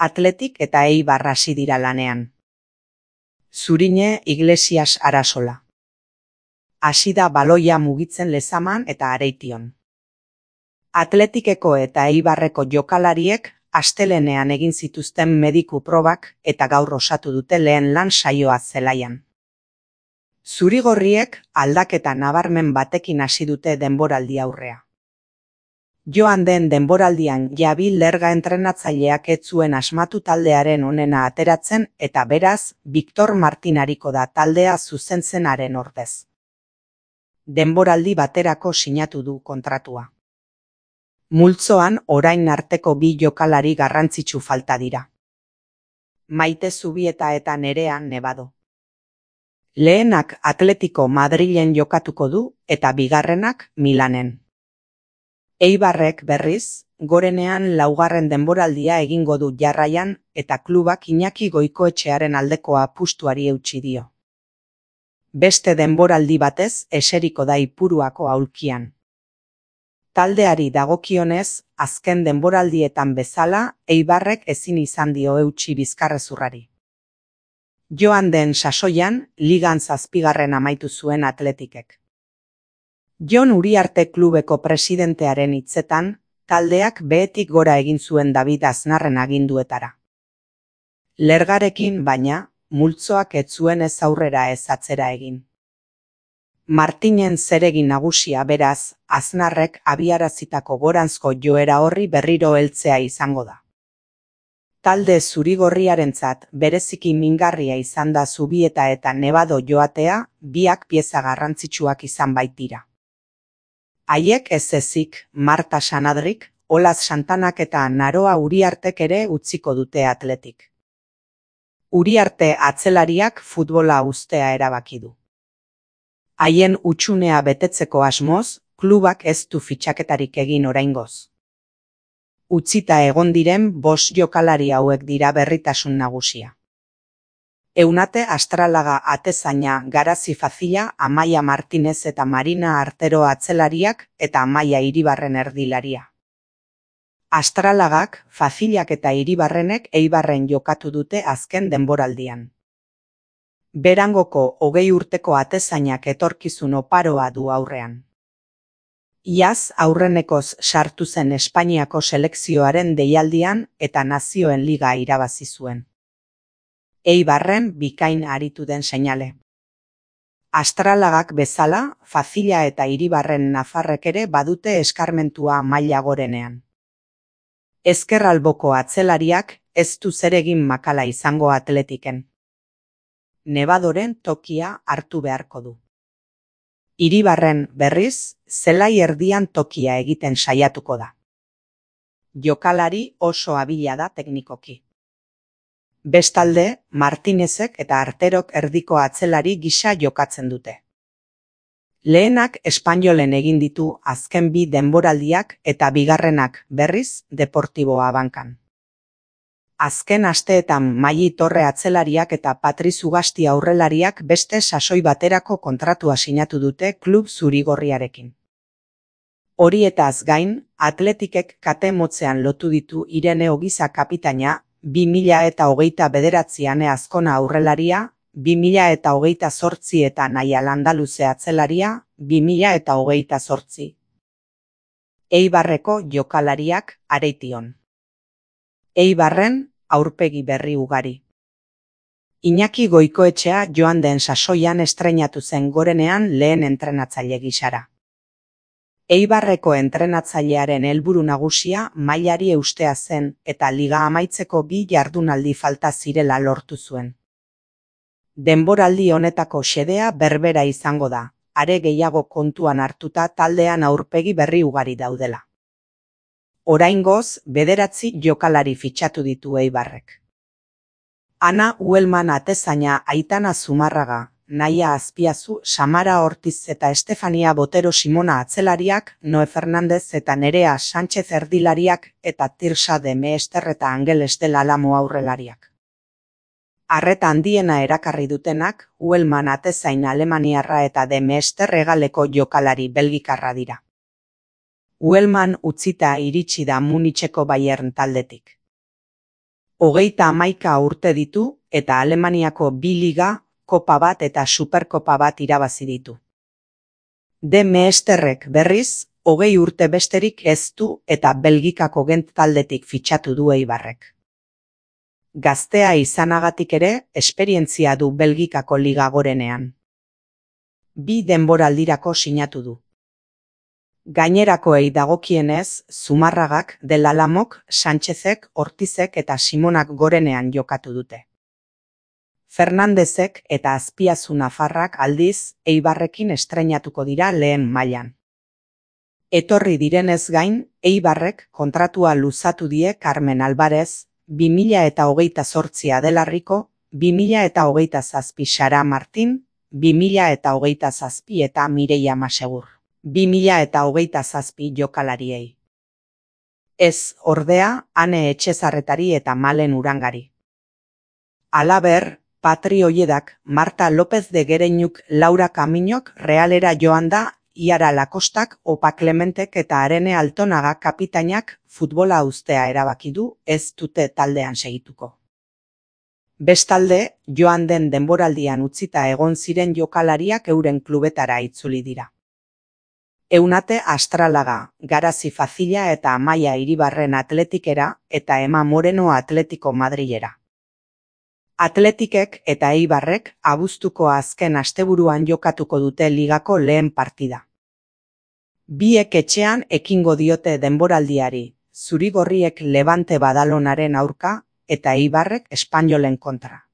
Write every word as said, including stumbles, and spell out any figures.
Athletic eta Eibar hasi dira lanean. Zurine Iglesias Arasola. Hasi da baloia mugitzen Lezaman eta Areition. Athleticeko eta Eibarreko jokalariek astelehenean egin zituzten mediku probak eta gaur osatu dute lehen lan saioa zelaian. Zurigorriek aldaketa nabarmen batekin hasi dute denboraldi aurrea. Joan den denboraldian Javi Lerga entrenatzaileak ez zuen asmatu taldearen onena ateratzen eta beraz Victor Martin ariko da taldea zuzentzenaren ordez. Denboraldi baterako sinatu du kontratua. Multzoan orain arteko bi jokalari garrantzitsu falta dira. Maite Zubieta eta Nerea Nebado. Lehenak Atletico Madrilen jokatuko du eta bigarrenak Milanen. Eibarrek berriz, gorenean laugarren denboraldia egingo du jarraian eta klubak Iñaki Goikoetxearen aldeko apustuari eutsi dio. Beste denboraldi batez eseriko da Ipuruako aulkian. Taldeari dagokionez, azken denboraldietan bezala, Eibarrek ezin izan dio eutsi bizkarrezurrari. Joan den sasoian, ligan zazpigarren amaitu zuen Athleticek. Jon Uriarte klubeko presidentearen hitzetan, taldeak behetik gora egin zuen David Aznarren aginduetara. Lergarekin baina, multzoak ez zuen ez aurrera ez atzera egin. Martinen zeregin nagusia beraz, Aznarrek abiarazitako goranzko joera horri berriro heltzea izango da. Talde zurigorriarentzat bereziki mingarria izan da Zubieta eta Nebado joatea, biak pieza garrantzitsuak izan baitira. Haiek ez ezik, Marta Sanadrik, Olaz Santanak eta Naroa Uriartek ere utziko dute Athletic. Uriarte atzelariak futbola uztea erabaki du. Haien utxunea betetzeko asmoz, klubak ez du fitxaketarik egin oraingoz. Utzita egon diren bost jokalari hauek dira berritasun nagusia. Eunate Astralaga atezaina, Garazi Fazila, Amaia Martinez eta Marina Artero atzelariak eta Amaia Iribarren erdilaria. Astralagak, Fazilak eta Iribarrenek Eibarren jokatu dute azken denboraldian. Berangoko hogei urteko atezainak etorkizun oparoa du aurrean. Iaz aurrenekoz sartu zen Espainiako selekzioaren deialdian eta Nazioen Liga irabazi zuen. Eibarren bikain aritu den seinale. Astralagak bezala, Fazila eta Iribarren nafarrek ere badute eskarmentua maila gorenean. Ezkerraldoko atzelariak ez du zeregin makala izango Atletiken. Nebadoren tokia hartu beharko du. Iribarren berriz, zelai erdian tokia egiten saiatuko da. Jokalari oso abila da teknikoki. Bestalde, Martinezek eta Arterok erdiko atzelari gisa jokatzen dute. Lehenak Espainolen egin ditu azken bi denboraldiak eta bigarrenak berriz Deportibo Abankan. Azken asteetan Maili Torre atzelariak eta Patriz Ugasti aurrelariak beste sasoi baterako kontratua sinatu dute klub zurigorriarekin. Horietaz gain, Athleticek kate motzean lotu ditu Irene Ogiza kapitaina, bi mila eta hogeita bederatzian Azkona aurrelaria, bi mila eta hogeita zortzi eta Naia Landaluze atzelaria, bi mila eta hogeita zortzi. Eibarreko jokalariak Areition. Eibarren aurpegi berri ugari. Iñaki Goikoetxea joan den sasoian estreinatu zen gorenean lehen entrenatzaile gisara. Eibarreko entrenatzailearen helburu nagusia mailari eustea zen eta liga amaitzeko bi jardunaldi falta zirela lortu zuen. Denboraldi honetako xedea berbera izango da, are gehiago kontuan hartuta taldean aurpegi berri ugari daudela. Oraingoz, bederatzi jokalari fitxatu ditu Eibarrek. Ana Uelman atezaina, Aitana Zumarraga, Naia Azpiazu, Samara Ortiz eta Estefania Botero Simona atzelariak, Noe Fernandez eta Nerea Sánchez erdilariak eta Tirsa de Meester eta Angeles del Alamo aurrelariak. Arreta handiena erakarri dutenak, Uelman atezain alemaniarra eta de Meester hegaleko jokalari belgikarra dira. Uelman utzita iritsi da Municheko Bayern taldetik. Hogeita hamaika urte ditu eta Alemaniako bi liga, kopa bat eta superkopa bat irabazi ditu. De Meesterrek berriz, hogei urte besterik ez du eta Belgikako Gent taldetik fitxatu du Eibarrek. Gaztea izanagatik ere, esperientzia du Belgikako liga gorenean. Bi denboraldirako sinatu du. Gainerakoei dagokienez, Zumarragak, Del Alamok, Sánchezek, Ortizek eta Simonak gorenean jokatu dute. Fernandezek eta Azpiazu nafarrak aldiz, Eibarrekin estreinatuko dira lehen mailan. Etorri direnez gain, Eibarrek kontratua luzatu die Carmen Alvarez, bi mila eta hogeita zortzi Adelarriko, bi mila eta hogeita zazpi Sara Martin, bi mila eta hogeita zazpi eta Mireia Masegur, bi mila eta hogeita zazpi jokalariei. Ez, ordea, Ane Etxezarretari eta Malen Urangari. Halaber, Patri Olledak, Marta López de Gereñuk, Laura Kaminok Realera joan da, Iara Lakostak, Opa Clementek eta Arene Altonaga kapitainak futbola uztea erabaki du, ez dute taldean segituko. Bestalde, joan den denboraldian utzita egon ziren jokalariak euren klubetara itzuli dira. Eunate Astralaga, Garazi Facila eta Amaia Iribarren Atletikera eta Ema Moreno Atletico Madrilera. Atletikek eta Eibarrek abuztuko azken asteburuan jokatuko dute ligako lehen partida. Biek etxean ekingo diote denboraldiari, Zurigorriek Levante Badalonaren aurka eta Eibarrek Espainolen kontra.